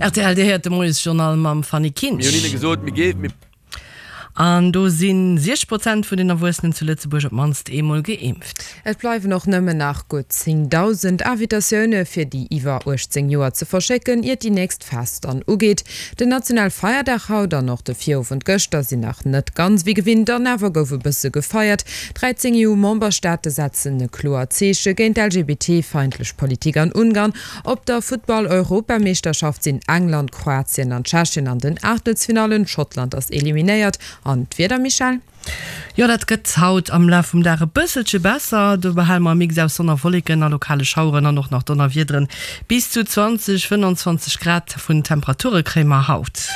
Rtl, Dir héiert de Moiesjournal mam Fanny Kinsch. Mir hunn hinne gesot, mir géif, mir. An do si 60 Prozent vun den Erwuessenen zu Lëtzebuerg op d'mannst eemol geimpft. Et bleiwen och nëmmen nach gutt 10.000 Invitatioune fir déi iwwer 18 Joer ze verschécken, iert déi nächst Phas dann ugeet. Den national Feierdag haut an och de Virowend gëschter sinn nach net ganz wéi gewinnt, an awer gouf e bësse gefeiert. 13 EU-Memberstaate setzen e kloert Zeeche géint d'LGBT-feindlech Politik an Ungarn. Op der Futtball-Europameeschterschaft sinn England, Kroatien an Tschechien an den Aachtelsfinallen, Schottland ass eliminéiert. An d'Wieder, Michèle? Jo, dat gëtt haut am Laf vum Dag e bësselche besser. Do behale mer e Mix aus Sonn a Wolleken a lokale Schaueren an och nach Donnerwiederen. Bis zu 20, 25 Grad vun Temperature kréie mer haut.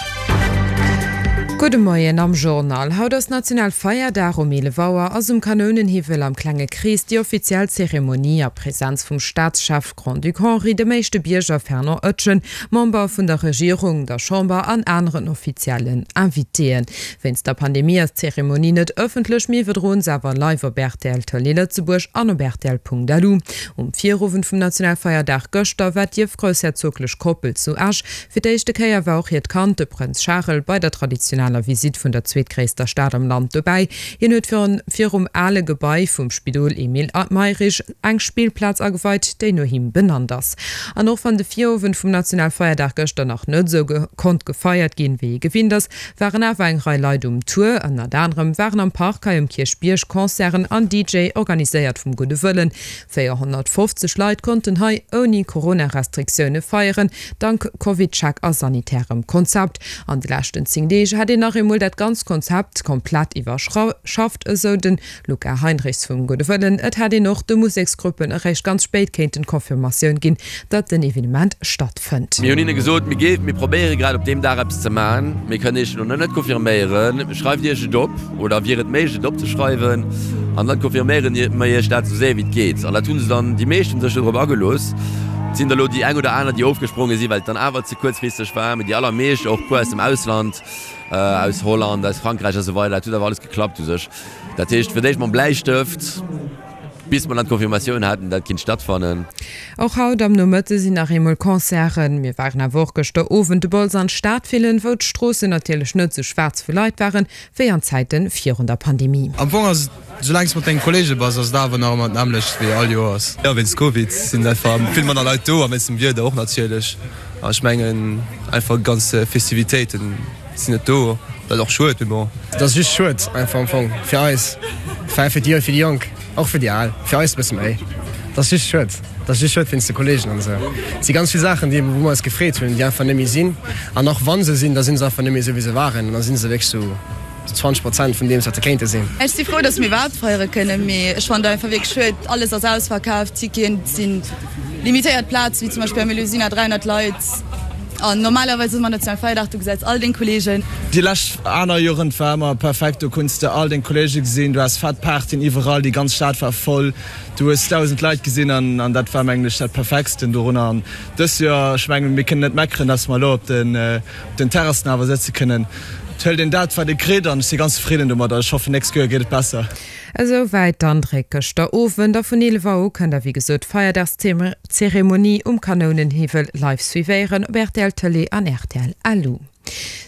Gudde Moien am Journal. Haut ass Nationalfeierdag. Um 11 Auer ass um Kanounenhiwwel am klenge Krees déi offiziell Zeremonie a Presenz vum Staatschef Grand-Duc Henri, dem éischte Bierger Fernand Oetjen, Member vun der Regierung, der Chamber an aneren offiziellen Invitéen. Wéinst der Pandemie ass d'Zeremonie net ëffentlech, mir iwwerdroen se awer live op rtl Tëlee Lëtzebuerg an op rtl.lu. Um Virowend vum Nationalfeierdag gëschter war d'ierfgroussherzoglech Koppel zu Esch. Fir d'éischte Kéier war och hiert Kand, de Prënz Charel, bei der traditioneller Visitt vun der zweetgréisster Stad am Land dobäi. Hien huet virum ale Gebai vum Spidol Emile Mayrisch eng Spillplaz ageweit, déi no him benannt ass. An och wann de Virowend vum Nationalfeierdag gëschter nach net esou konnt gefeiert ginn, wéi ee gewinnt ass, waren awer eng Rei Leit um Tour. Ënnert anerem waren am Park hei um Kierchbierg Concerten an DJ, organiséiert vum Gudde Wëllen. 450 Leit konnten hei ouni Corona-Restriktioune feieren, dank Covid-Check a sanitärem Konzept. An de leschten 10 Deeg hätt een nach eemol dat ganzt Konzept komplett iwwerschafft, esou de Luca Heinrichs vum Gudde Wëllen. Et hätt een och de Museksgruppen eréischt ganz spéit kéinten d'Confirmatioun ginn, datt den Evenement stattfënnt. Mir hunn hinne gesot, mir géifen, mir probéiere grad op deem Dag eppes ze maachen. Mir kënnen Iech elo nach net confirméieren. Schreift Iech et op oder wier et méiglech et opzeschreiwen an dann confirméiere mer Iech dat esou séier wéi et geet. An dat hu se dann, déi meescht hu sech jo drop agelooss. Et sinn der elo déi eng oder aner, déi ofgespronge sinn, well et dann awer ze kuerzfristeg war, mee déi allermeescht, och e puer aus dem Ausland, aus Holland, aus Frankräich a sou weider, dat huet awer alles geklappt u sech. Dat heescht, fir d'éischt mam Bläistëft, bis mer dann d'Confirmatioun haten, dat kinnt stattfannen. Och haut am Nomëtte sinn nach eemol Concerten. Mir waren awer och gëschter Owend de Bols an d'Stad fillen, wou d'Stroossen natierlech net sou schwaarz vu Leit waren, wéi an Zäite virun der Pandemie. Am Fong ass et, soulaang s de mat dengen Kollege bass, ass et awer nach ëmmer d'nämmlecht wéi all Joers. Jo, wéinst Covid sinn einfach vill manner Leit do a wéinst dem Wieder och natierlech. An ech mengen einfach ganz Festivitéiten sinn net do. Dat ass och schued, mee bon. Et ass just schued einfach am Fong fir eis, enfin fir déi fir déi Jonk, och fir déi Al, fir eis e bësse méi. Et ass just schued, et ass just schued wéinst de Kollegen an esou. Et si ganz vill Saachen, déi wou mer eis gefreet hunn, déi einfach net méi sinn. An och wa se sinn, da si se einfach net méi esou wéi se waren an da si se wierklech esou 20 Prozent vun deem wat se kéinte sinn. Ech si frou, dass mir iwwerhaapt feiere kënnen, mee ech fannen et einfach wierklech schued, alles ass ausverkaaft, Ticketen sinn limitéiert Plazen, wéi zum Beispill am Melusina 300 Leit. An normalerweis ass ëmmer Nationalfeierdag, du gesäis all deng Kollegen. Déi lescht aner Joren, et war ëmmer perfekt, do kunns de all deng Kollege gesinn, du has fett Partyen iwwerall, déi ganz Stad war voll, du hues 1.000 Leit gesinn an an dat war mengen ech dat perfektsten dorunner. An dëst Joer, ech mengen mir kënnen net meckeren, dass mer elo op den op den Terrassen awer sëtze kënnen. Et huelt een dat wat ee kritt an ech si ganz zefridden domadder. Ech hoffen nächst Joer geet et besser. Esou wäit d'Andréck gëschter Owend a vun 11 Auer u kënnt der wéi gesot d'Feierdagszeremonie um Kanounenhiwwel live suivéieren op rtl Tëlee an rtl Lu.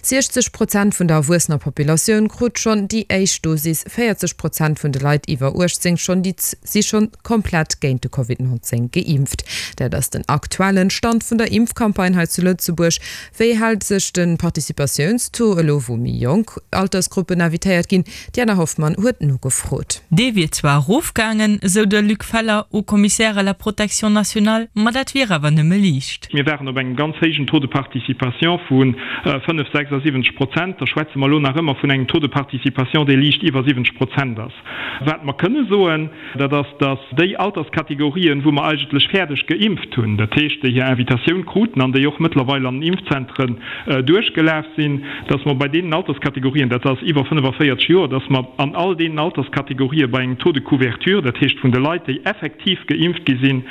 60 Prozent vun der erwuessener Populatioun krut schonn déi éischt Dosis, 40 Prozent vun de Leit iwwer 18 schonn déi si schonn komplett géint de Covid 19 geimpft. Dat ass den aktuellen Stand vun der Impfcampagne hei zu Lëtzebuerg. Wéi hält sech de Participatiounstaux elo wou méi jonk Altersgruppen invitéiert ginn? D'Diana Hoffmann huet nogefrot. Dee wier zwar erofgaangen, esou de Luc Feller, Haut Commissaire à la protection nationale, ma dat wier awer nëmme liicht. Mir waren op engem ganz héijen Taux de participation vu 5, 76 Prozent. Da schwätze mer elo nach ëmmer vun engem Taux de participation, dee liicht iwwer 70 Prozent ass. Wat mer kënne soen, dat ass, dass déi Alterskategorien, wou mer eigentlech fäerdeg geimpft hunn, dat heescht, déi hir Invitatioun kruten an déi och mëttlerweil an den Impfzentren duerchgelaf sinn, dass mer bei deenen Alterskategorien, dat ass iwwer 45 Joer, dass mer an all deenen Alterskategorië bei engem Taux de couverture, dat heescht vun de Leit, déi effektiv geimpft gi sinn,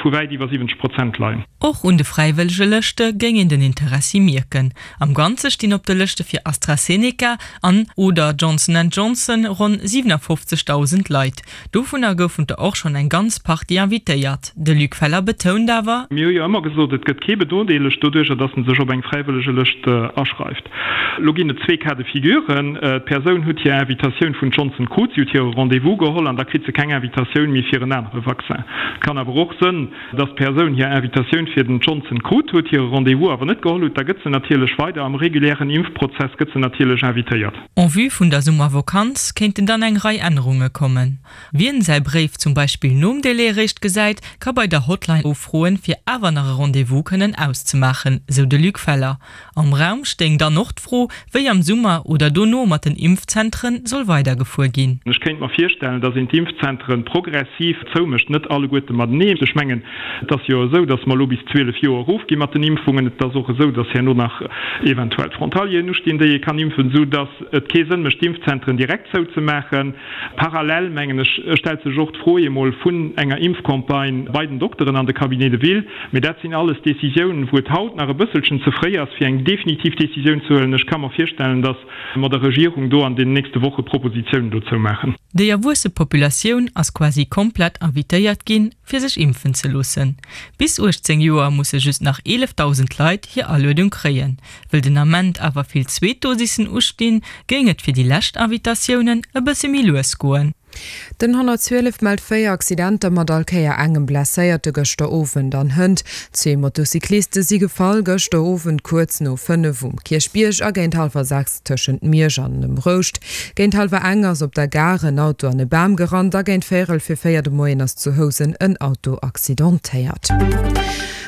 vu wäit iwwer 70 Prozent leien. Och un de Fräiwëllegelëschte géing een den Interessi mierken. Am. Am Ganze stinn op de Lëschte fir AstraZeneca an oder Johnson and Johnson ronn 57.000 Leit. Dovunner goufen der och schonn eng ganz Partie invitéiert. De Luc Feller betount awer. Mir hu jo ëmmer gesot, et gëtt kee benodeelegt doduercher, datt en sech op eng Fräiwëllegelëscht aschreift. Elo ginn et zwee Cas de figuren, D'Persoun huet hir Invitatioun vun Johnson krut, si huet hire Rendez-vous geholl an da kritt se keng Invitatioun méi fir en anere Vaccin. Et kann awer och sënn, datt d'Persoun hir Invitatioun fir den Johnson krut huet, hire Rendez-vous awer net geholl huet. Da gëtt se natierlech weider am regulären Impfprozess gëtt se natierlech invitéiert. En vue vun der Summervokanz kéinten dann eng Rei Ännerunge kommen. Wien säi Bréif zum Beispill nom Délai eréischt gesäit, ka bei der Hotline ufroen, fir awer nach e Rendez-vous kënnen auszemaachen, sou de Luc Feller. Am Raum stéing dann och d'Fro, wéi am Summer oder dono mat den Impfzentren soll weidergefuer ginn. Ech kéint mer virstellen, datt een d'Impfzentren progressiv zoumécht, net alleguerte mateneen. Ech mengen, et ass jo esou, datt mer elo bis 12 Joer erofgi mat den Impfungen. Et ass och esou, datt herno nach eventuell d'Frontalieren ustinn, déi ee kann impfen, esou datt et kee Sënn mécht, d'Impfzentren direkt zouzemaachen. Parallel, mengen ech, stellt sech och d'Fro eemol vun enger Impfcampagne bei den Dokteren an de Cabinets de ville. Mee dat sinn alles Décisiounen, wou et haut nach e bësselchen ze fréi ass, fir eng definitiv Décisioun ze huelen. Ech ka mer virstellen, datt mer der Regierung do an den nächste Woche Propositionen dozou maachen. Déi erwuesse Populatioun ass quasi komplett invitéiert ginn, fir sech impfen ze loossen. Bis 18 Joer musse just nach 11.000 Leit hir Aluedung kréien. Wëll den Ament awer vill zweet Dosissen ustinn, géing et fir déi lescht Invitatiounen e bësse méi lues goen. Den 112 mellt 4 Accidenter mat all Kéier engem Blesséierte gëschter Owend an hënt. Zwee Motocycliste si gefall gëschter Owend kuerz no 5 um Kierchbierg a géint hallwer 6 tëschent Miersch an dem Rouscht. Géint hallwer eng ass op der Gare en Auto an e Bam gerannt a géint véierel fir 4 de Moien ass zu Housen en Auto accidentéiert.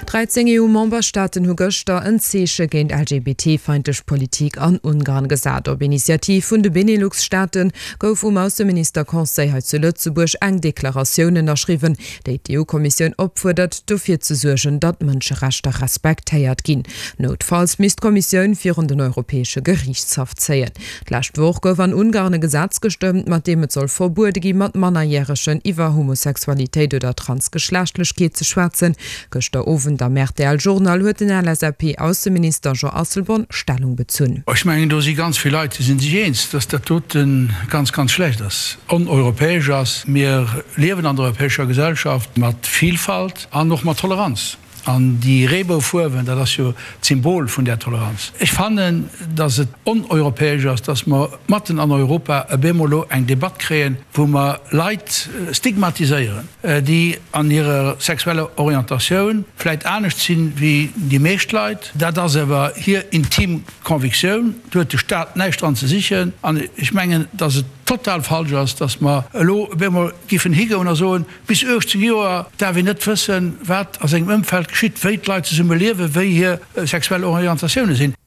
13 EU-Memberstaaten hu gëschter en Zeeche géint LGBT-feindlech Politik an Ungarn gesat. Op Initiativ vun de Benelux-Staate gouf um Ausseminister-Conseil hei zu Lëtzebuerg eng Deklaratioun ënnerschriwwen, déi d'EU-Kommissioun opfuerdert, dofir ze suergen, datt d'Mënscherechter respektéiert ginn. Noutfalls misst d'Kommissioun virun den Europäesche Geriichtshaff zéien. D'lescht Woch gouf an Ungarn e Gesetz gestëmmt, mat deem et soll verbuede gi mat Mannerjäregen iwwer Homosexualitéit oder Transgeschlechtlechkeet ze schwätzen. Gëschter Owend am rtl Journal huet den LSAP-Ausseminister Jean Asselborn Stellung bezunn. Ech mengen, do si ganz vill Leit, déi si sech eens, dass dat dote ganz, ganz schlecht ass, oneuropäesch ass. Mir liewen an der europäescher Gesellschaft mat Vielfalt an och mat Toleranz. An déi Reeboufuerwen, dat ass jo d'Symbol vun där Toleranz. Ech fannen, dass et oneuropäesch ass, dass mer matten an Europa e bemol elo eng Debatt kréien, wou mer Leit stigmatiséieren, déi an hirer sexueller Orientatioun vläit anescht sinn wéi déi meescht Leit. Dat ass awer hir intim Convictioun, do huet de Staat näischt dran ze sichen. An ech mengen, dass et total falsch ass, dass mer elo e bemol giffen higoen a soen, Bis 18 Joer däerf een net wëssen, wat a sengem Ëmfeld geschitt, wéi d'Leit zesumme liewen, wéi hir sexuell Orientatioune sinn.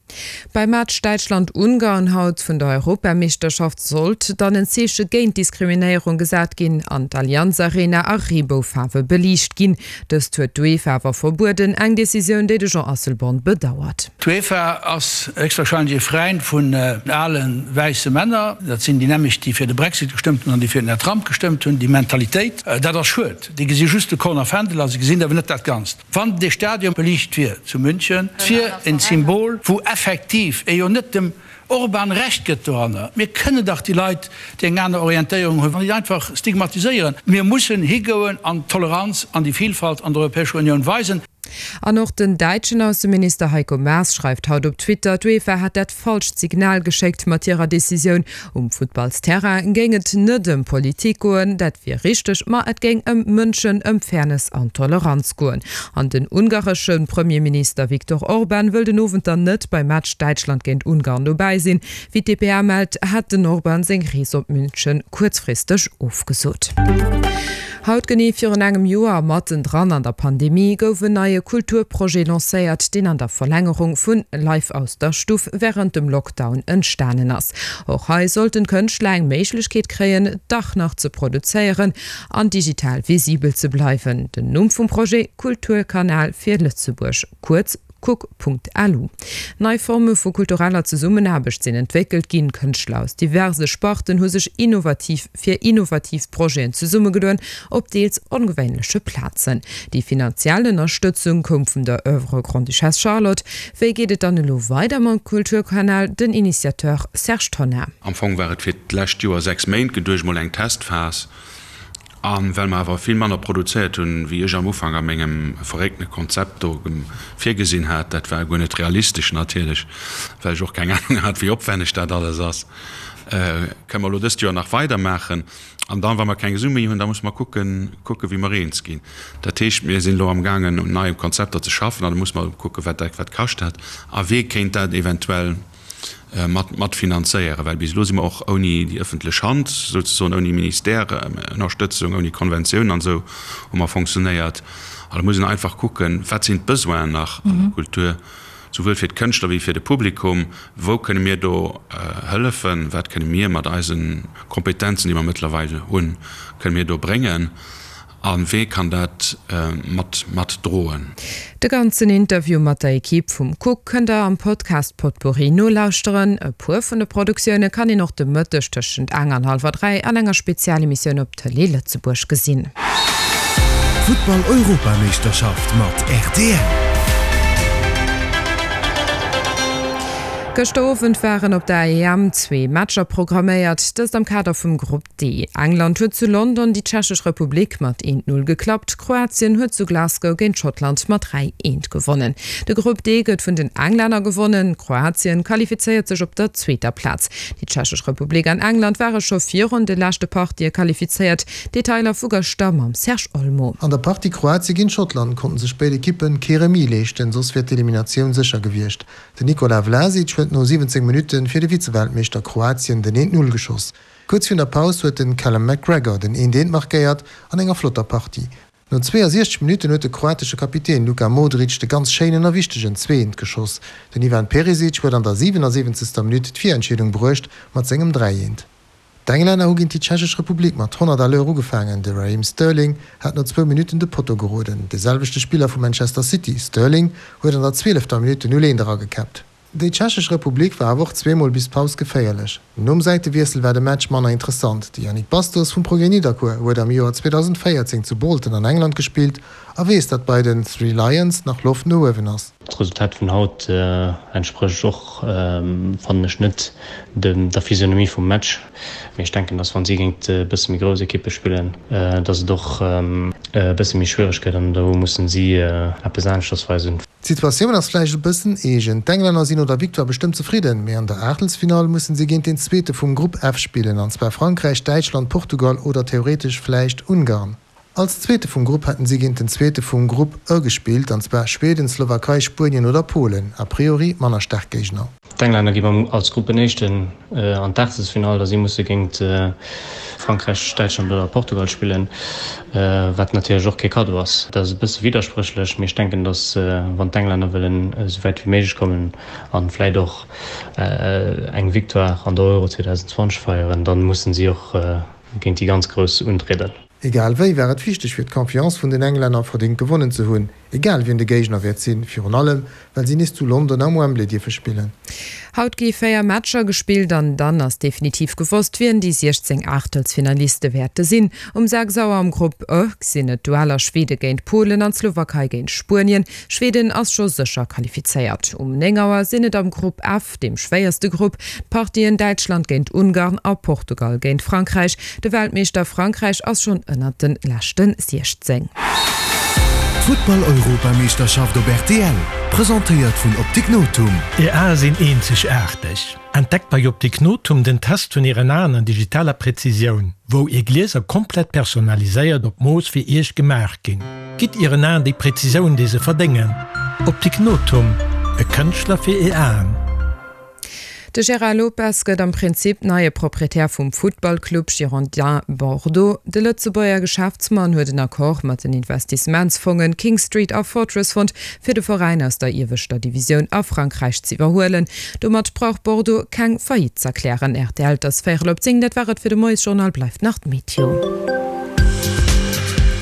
Beim Match Däitschland-Ungarn haut vun der Europameeschterschaft sollt dann en Zeeche géint Diskriminéierung gesat ginn an d'Allianz Arena a Reeboufaarwe beliicht ginn. Dëst huet d'UEFA awer verbueden, eng Decisioun, déi de Jean Asselborn bedauert. D'UEFA ass héchstwahrscheinlech ee Fräind vun ale wäisse Männer. Dat sinn déi nämlecht, déi fir de Brexit gestëmmt hunn an déi fir den Här Trump gestëmmt hunn. Déi Mentalitéit, dat ass schued. Déi gesi just de Korn a Fändel a se gesinn awer net dat Ganzt. Wann dee Stadion beliicht wier zu München, et wier en Symbol, wou effektiv ee jo net dem Orban Recht gëtt doranner. Mir kënnen dach déi Leit, déi eng aner Orientéierung hunn, net einfach stigmatiséieren. Mir mussen higoen an d'Toleranz an déi Vielfalt an der Europäescher Unioun weisen. An och den däitschen Ausseminister Heiko Maas schreift haut op Twitter, d'UEFA hätt dat falscht Signal geschéckt mat hirer Decisioun. Um Futtballsterrain géing et net ëm Politik goen, dat wier richteg, ma et géing ëm Mënschen, ëm Fairness an Toleranz goen. An den ungaresche Premierminister Viktor Orban wëll den Owend dann net beim Match Däitschland géint Ungarn dobäi sinn. Wéi d'dpa mellt, hätt den Orban seng Rees op München kuerzfristeg ofgesot. Haut genee virun engem Joer a matten dran an der Pandemie gouf en neie Kulturprojet lancéiert, deen an der Verlängerung vun Live aus der Stuff wärend dem Lockdown entstanen ass. Och hei sollten d'Kënschtler eng Méiglechkeet kréien, dach nach ze produzéieren an digital visibel ze bleiwen. Den Numm vum Projet, Kulturkanal fir Lëtzebuerg, kuerz. Cook.lu. Nei Forme vu kultureller Zesummenaarbecht sinn entwéckelt ginn, Kënschtler aus diverse Sparten hu sech innovativ fir innovativ Projeten zesummegedoen, op deels ongewéinleche Plazen. Déi finanziell Ënnerstëtzung koum vun der Oeuvre Grande-Duchesse Charlotte. Wéi geet et dann elo weider mam Kulturkanal? Den Initiateur Serge Tonnar. Am Fong war et fir d'lescht Joer 6 Méint geduecht, mol eng Testphas. A well mer awer vill manner produzéiert hunn, wéi ech am Ufank a mengem verréckte Konzept do virgesinn hat, dat war guer net realistesch natierlech, well ech och keng Anung hat, wéi opwänneg dat alles ass, kënne mer elo dëst Joer nach weidermaachen. An dann, wa mer keng Su méi hunn, da musse mer kucken, kucken, wéi mer eens ginn. Dat heescht, mir sinn elo amgaangen, un neie Konzepter ze schaffen an da musse mer kucken, wat dat wat kascht dat a wee kéint dat eventuell mat mat finanzéieren, well bis elo si mer och ouni déi ëffentlech Hand, souzesoen ouni Ministère-Ënnerstëtzung, ouni Konventioun an esou hu mer fonctionnéiert. An da muss een einfach kucken, wat sinn d'Besoinen nach an der Kultur, souwuel fir d'Kënschtler wéi fir de Publikum, wou kënne mir do hëllefen, wat kënne mir mat eise Kompetenzen, déi mer mëttlerweil hunn, kënne mir do bréngen. A wee kann dat mat mat droen? De ganzen Interview mat der Equipe vum Cook kënnt der am Podcast Potpourri nolauschteren. E puer vun de Produktioune kann een och de Mëtteg tëschent eng an hallwer 3 an enger Spezialemissioun op Tëlee Lëtzebuerg gesinn. Futtball-Europameeschterschaft mat rtl. Gëschter Owend waren op der EM zwee Matcher programméiert, dëst am Kader vum Grupp D. England huet zu London déi Tschechesch Republik mat 1, 0 geklappt, Kroatien huet zu Glasgow géint Schottland mat 3, 1 gewonnen. De Grupp D gëtt vun den Englänner gewonnen, Kroatien qualifizéiert sech op der zweeter Plaz. Déi Tschechesch Republik an England ware scho virun de leschte Partië qualifizéiert. Detailer vu gëschter mam Serge Olmo. An der Partie Kroatie géint Schottland konnten sech béid Ekippen kee Remis leeschten, soss wier d'Eliminatioun sécher gewiescht. Den Nikola Vlasic huet no 17 Minutte fir de Vizeweltmeeschter Kroatien den 1, 0 geschoss. Kuerz virun der Paus huet den Callum McGregor den 1, 1 markéiert an enger flotter Partie. No 62 Minutten huet de kroatesche Kapitän Luka Modric de ganz schéinen a wichtegen 2, 1 geschoss. Den Ivan Perisic huet an der 77. Minutt d'Virentscheedung bruecht mat sengem 3, 1. D'Englänner hu géint déi Tschechesch Republik mat 100 à l'heure ugefaangen. De Raheem Sterling hat no zwou Minutten de Potto geroden. De selwechte Spiller vu Manchester City, Sterling, huet an der zwielefter Minutt den 0, 1 eragekäppt. Déi Tschechesch Republik war awer och zweemol bis d'Paus geféierlech. Nom Säitewiessel war de Match manner interessant. De Yannick Bastos vum Progrès Nidderkuer huet am Joer 2014 zu Bolton an England gespillt a weess, datt bei den Three Lions nach Loft no uewen ass. D'Resultat vun haut entsprécht och, fannen ech, net der Physionomie vum Match. Mee ech denken, dass wann si géint e bësse méi grouss Ekippe spillen, dass et och e bësse méi schwiereg gëtt an do mussen si eppes aneschters weisen. D'Situatioun ass vläicht e bëssen eegen. D'Englänner sinn no der Victoire bestëmmt zefridden, mee an der Aachtelsfinall mussen si géint den Zweete vum Grupp F spillen, an zwar Frankräich, Däitschland, Portugal oder theoretesch vläicht Ungarn. Als Zweete vum Grupp hätten si géint den Zweete vum Grupp E gespillt, an zwar Schweden, Slowakei, Spuenien oder Polen, a priori manner staark Géigner. D'Englänner gi mam als Gruppenéischten an d'Aachtelsfinall a si musse géint Frankräich, Däitschland oder Portugal spillen, wat natierlech och kee Kaddo ass. Dat ass e bësse widderspréchlech, mee ech denken, datt wann d'Englänner wëllen esou wäit wéi méiglech kommen a vläit och eng Victoire an der Euro 2020 feieren, da mussen si och géint déi ganz Grouss untrieden. Egal wéi war et wichteg fir d'Confiance vun den Englänner verdéngt gewonnen ze hunn, egal wien de Géigner wäert sinn, virun allem well si nees zu London am Wembley dierfe spillen. Haut gi 4 Matcher gespillt an dann ass definitiv gewosst, wien déi 16 Aachtelsfinaliste wäerte sinn. Um 6 Auer am Grupp E sinn et d'Dueller Schwede géint Polen an d'Slowakei géint Spuenien. Schweden ass scho sécher qualifizéiert. Um 9 Auer sinn et am Grupp F, dem schwéierste Grupp, d'Partien Däitschland géint Ungarn a Portugal géint Frankräich. De Weltmeeschter Frankräich ass schonn ënnert de leschte 16. D'Futtball-Europameeschterschaft op rtl, presentéiert vun Optik Nothum. Är Ae sinn eenzegaarteg. Entdeckt bei Optik Nothum den Test vun Ären Aen an digitaler Präzisioun, wou Är Glieser komplett personaliséiert op Mooss fir Iech gemaach ginn. Gitt Ieren Aen déi Präzisioun, déi se verdéngen. Optik Nothum, e Kënschtler fir Är Aen. De Gérard Lopez gëtt am Prinzip neie Proprietär vum Futtballclub Girondins Bordeaux. De Lëtzebuerger Geschäftsmann huet en Accord mat den Investissementsfongen King Street a Fortress fonnt, fir de Veräin aus der ieweschter Divisioun a Frankräich z'iwwerhuelen. Domat brauch Bordeaux keng Faillite z'erklären. Rtl, 't ass véierel op 10, dat war et fir de Moiesjournal, bleift nach d'Meteo.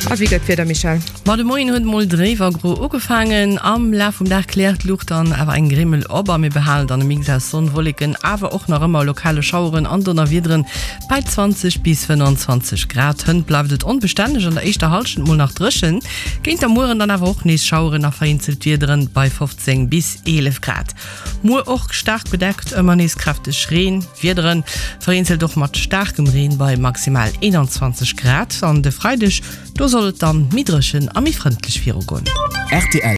A wéi gëtt d'Wieder, Michèle? Ma de Moien huet mol dréif a gro ugefaangen. Am Laf vum Dag kläert d'Luucht dann awer eng Grimmel op a mir behalen dann e Mix aus Sonn, Wolleken, awer och nach ëmmer lokale Schaueren an Donnerwiederen bei 20 bis 25 Grad. Hënt bleift et onbestänneg, an der éischter Hallschent mol nach dréchen, géint der Mueren dann awer och nees Schaueren a vereenzelt Wiederen bei 15 bis 11 Grad. Muer och staark bedeckt, ëmmer nees kräfteg Reen, Wiederen, vereenzelt och mat staarkem Reen bei maximal 21 Grad. An de Freideg, do soll et dann méi dréchen a méi frëndlech virugoen. Rtl.